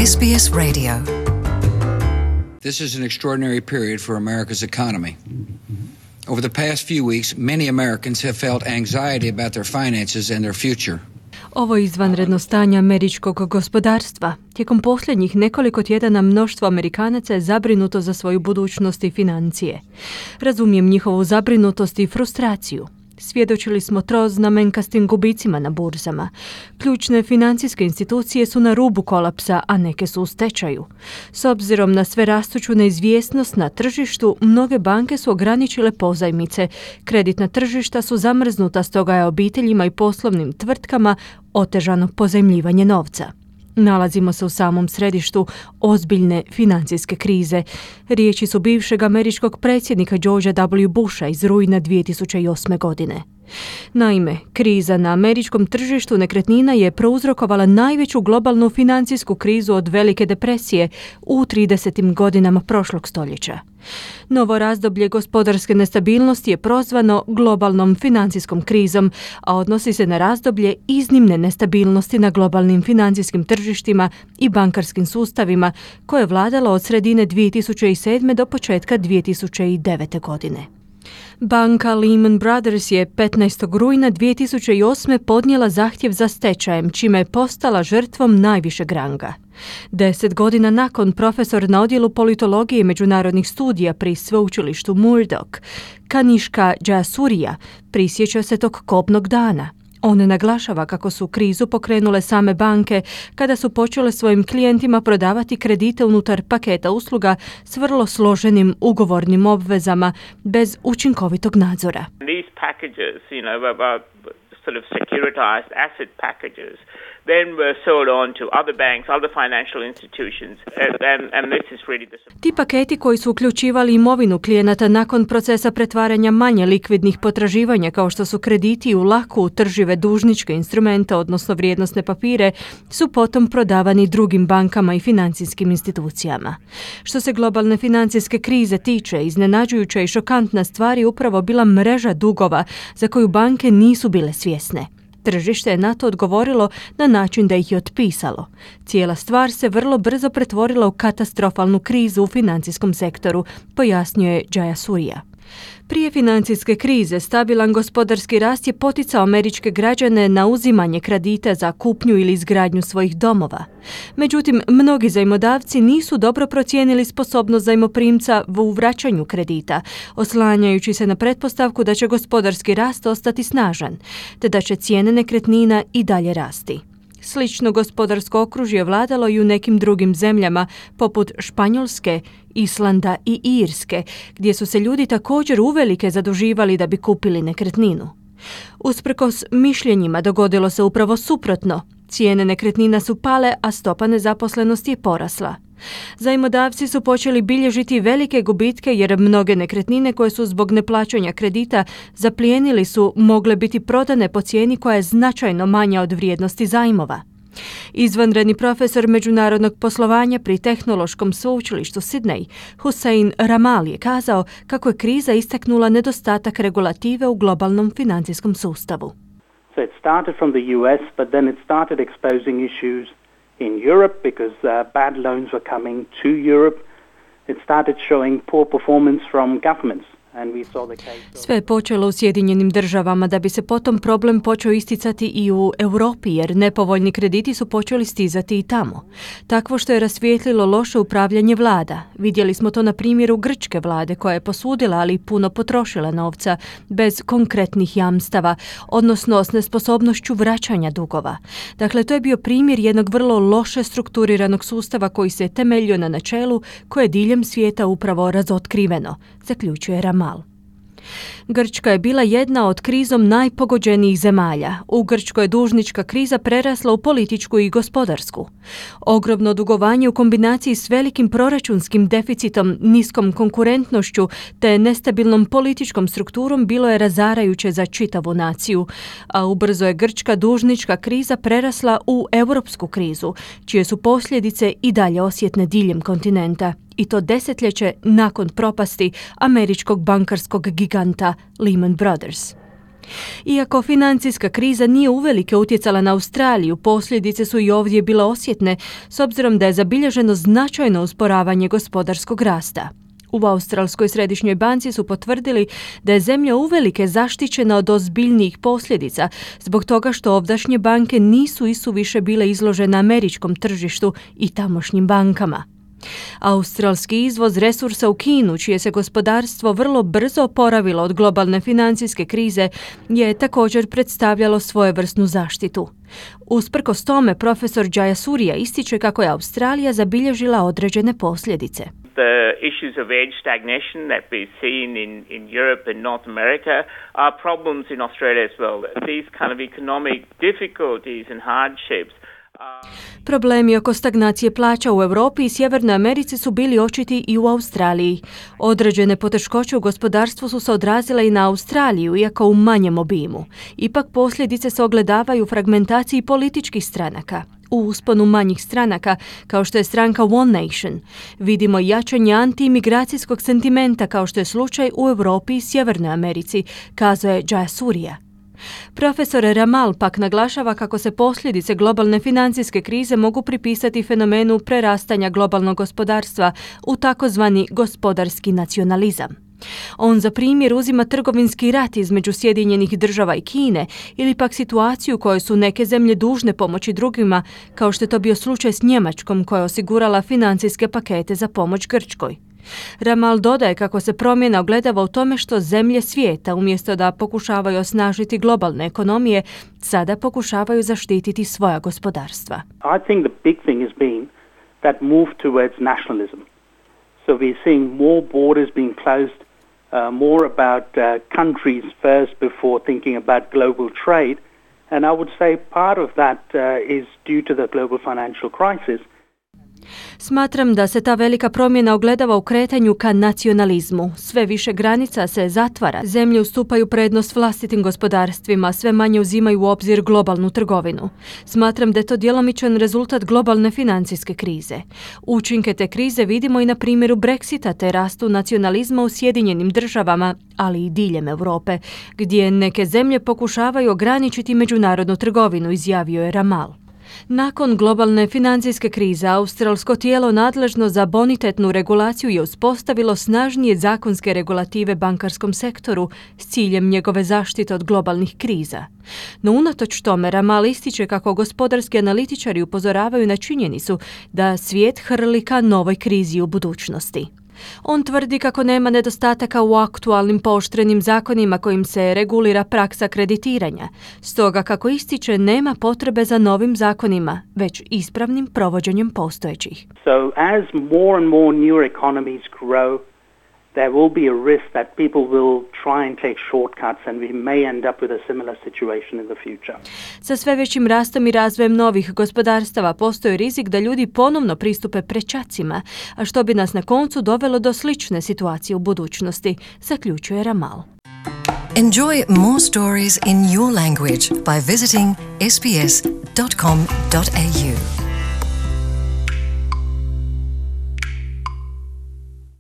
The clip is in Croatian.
SBS Radio. This is an extraordinary period for America's economy. Over the past few weeks, many Americans have felt anxiety about their finances and their future. Ovo je izvanredno stanje američkog gospodarstva. Tijekom posljednjih nekoliko tjedana mnoštvo Amerikanaca je zabrinuto za svoju budućnost i financije. Razumijem njihovu zabrinutost i frustraciju. Svjedočili smo troznamenkastim gubicima na burzama. Ključne financijske institucije su na rubu kolapsa, a neke su u stečaju. S obzirom na sve rastuću neizvjesnost na tržištu, mnoge banke su ograničile pozajmice. Kreditna tržišta su zamrznuta, stoga je obiteljima i poslovnim tvrtkama otežano pozajmljivanje novca. Nalazimo se u samom središtu ozbiljne financijske krize. Riječi su bivšeg američkog predsjednika Georgea W. Busha iz rujna 2008. godine. Naime, kriza na američkom tržištu nekretnina je prouzrokovala najveću globalnu financijsku krizu od Velike depresije u 30. godinama prošlog stoljeća. Novo razdoblje gospodarske nestabilnosti je prozvano globalnom financijskom krizom, a odnosi se na razdoblje iznimne nestabilnosti na globalnim financijskim tržištima i bankarskim sustavima koje je vladalo od sredine 2007. do početka 2009. godine. Banka Lehman Brothers je 15. rujna 2008. podnijela zahtjev za stečajem, čime je postala žrtvom najvišeg ranga. 10 godina nakon, profesor na odjelu politologije i međunarodnih studija pri sveučilištu Murdoch, Kanishka Jayasuriya, prisjeća se tog kobnog dana. On naglašava kako su krizu pokrenule same banke kada su počele svojim klijentima prodavati kredite unutar paketa usluga s vrlo složenim ugovornim obvezama bez učinkovitog nadzora. These packages, sort of securitized asset packages, then were sold on to other banks, other financial institutions, and this is really the... Ti paketi koji su uključivali imovinu klijenata nakon procesa pretvaranja manje likvidnih potraživanja kao što su krediti u lako utržive dužničke instrumente, odnosno vrijednosne papire, su potom prodavani drugim bankama i financijskim institucijama. Što se globalne financijske krize tiče, iznenađujuća i šokantna stvar je upravo bila mreža dugova za koju banke nisu bile svjesne. Tržište je na to odgovorilo na način da ih je otpisalo. Cijela stvar se vrlo brzo pretvorila u katastrofalnu krizu u financijskom sektoru, pojasnjuje Jayasuriya. Prije financijske krize stabilan gospodarski rast je poticao američke građane na uzimanje kredita za kupnju ili izgradnju svojih domova. Međutim, mnogi zajmodavci nisu dobro procijenili sposobnost zajmoprimca u vraćanju kredita, oslanjajući se na pretpostavku da će gospodarski rast ostati snažan, te da će cijene nekretnina i dalje rasti. Slično gospodarsko okružje vladalo i u nekim drugim zemljama, poput Španjolske, Islanda i Irske, gdje su se ljudi također uvelike zaduživali da bi kupili nekretninu. Usprkos mišljenjima dogodilo se upravo suprotno. Cijene nekretnina su pale, a stopa nezaposlenosti je porasla. Zajmodavci su počeli bilježiti velike gubitke jer mnoge nekretnine koje su zbog neplaćanja kredita zaplijenili su mogle biti prodane po cijeni koja je značajno manja od vrijednosti zajmova. Izvanredni profesor međunarodnog poslovanja pri Tehnološkom sveučilištu Sydney, Hussein Ramal, je kazao kako je kriza istaknula nedostatak regulative u globalnom financijskom sustavu. So it started from the US, but then it started exposing issues in Europe because bad loans were coming to Europe. It started showing poor performance from governments. Sve je počelo u Sjedinjenim državama da bi se potom problem počeo isticati i u Europi jer nepovoljni krediti su počeli stizati i tamo. Takvo što je rasvijetlilo loše upravljanje vlada. Vidjeli smo to na primjeru grčke vlade koja je posudila, ali puno potrošila novca bez konkretnih jamstava, odnosno s nesposobnošću vraćanja dugova. Dakle, to je bio primjer jednog vrlo loše strukturiranog sustava koji se temeljio na načelu koje je diljem svijeta upravo razotkriveno, zaključuje Ramal. Grčka je bila jedna od krizom najpogođenijih zemalja. U Grčkoj je dužnička kriza prerasla u političku i gospodarsku. Ogromno dugovanje u kombinaciji s velikim proračunskim deficitom, niskom konkurentnošću te nestabilnom političkom strukturom bilo je razarajuće za čitavu naciju, a ubrzo je grčka dužnička kriza prerasla u europsku krizu, čije su posljedice i dalje osjetne diljem kontinenta. I to desetljeće nakon propasti američkog bankarskog giganta Lehman Brothers. Iako financijska kriza nije uvelike utjecala na Australiju, posljedice su i ovdje bile osjetne, s obzirom da je zabilježeno značajno usporavanje gospodarskog rasta. U Australskoj središnjoj banci su potvrdili da je zemlja uvelike zaštićena od ozbiljnijih posljedica zbog toga što ovdašnje banke nisu isuviše bile izložene američkom tržištu i tamošnjim bankama. Australski izvoz resursa u Kinu, čije se gospodarstvo vrlo brzo oporavilo od globalne financijske krize, je također predstavljalo svojevrsnu zaštitu. Usprkos tome, profesor Jayasuriya ističe kako je Australija zabilježila određene posljedice. The issues of age stagnation that we've seen in Europe and North America are problems in Australia as well. These kind of economic difficulties and hardships. Problemi oko stagnacije plaća u Europi i Sjevernoj Americi su bili očiti i u Australiji. Određene poteškoće u gospodarstvu su se odrazile i na Australiju, iako u manjem obimu. Ipak posljedice se ogledavaju u fragmentaciji političkih stranaka. U usponu manjih stranaka, kao što je stranka One Nation, vidimo jačanje anti-imigracijskog sentimenta kao što je slučaj u Europi i Sjevernoj Americi, kazao je Jayasuriya. Profesor Ramal pak naglašava kako se posljedice globalne financijske krize mogu pripisati fenomenu prerastanja globalnog gospodarstva u takozvani gospodarski nacionalizam. On za primjer uzima trgovinski rat između Sjedinjenih Država i Kine ili pak situaciju u kojoj su neke zemlje dužne pomoći drugima, kao što je to bio slučaj s Njemačkom koja je osigurala financijske pakete za pomoć Grčkoj. Ramal dodaje kako se promjena ogledava u tome što zemlje svijeta, umjesto da pokušavaju osnažiti globalne ekonomije, sada pokušavaju zaštititi svoja gospodarstva. I think the big thing has been that move towards nationalism. So we're seeing more borders being closed, more about countries first before thinking about global trade. And I would say part of that is due to the global financial crisis. Smatram da se ta velika promjena ogledava u kretanju ka nacionalizmu. Sve više granica se zatvara, zemlje ustupaju prednost vlastitim gospodarstvima, sve manje uzimaju u obzir globalnu trgovinu. Smatram da je to djelomičan rezultat globalne financijske krize. Učinke te krize vidimo i na primjeru Brexita te rastu nacionalizma u Sjedinjenim Državama, ali i diljem Europe, gdje neke zemlje pokušavaju ograničiti međunarodnu trgovinu, izjavio je Ramal. Nakon globalne financijske krize, australsko tijelo nadležno za bonitetnu regulaciju je uspostavilo snažnije zakonske regulative bankarskom sektoru s ciljem njegove zaštite od globalnih kriza. No unatoč tome, Ramal ističe kako gospodarski analitičari upozoravaju na činjenicu da svijet hrli ka novoj krizi u budućnosti. On tvrdi kako nema nedostataka u aktualnim pooštrenim zakonima kojim se regulira praksa kreditiranja, stoga kako ističe nema potrebe za novim zakonima, već ispravnim provođenjem postojećih. So as more and more new economies grow, there will be a risk that people will try and take shortcuts and we may end up with a similar situation in the future. Sa sve većim rastom i razvojem novih gospodarstava postoji rizik da ljudi ponovno pristupe prečacima, a što bi nas na koncu dovelo do slične situacije u budućnosti, zaključuje Ramal. Enjoy more stories in your language by visiting sbs.com.au.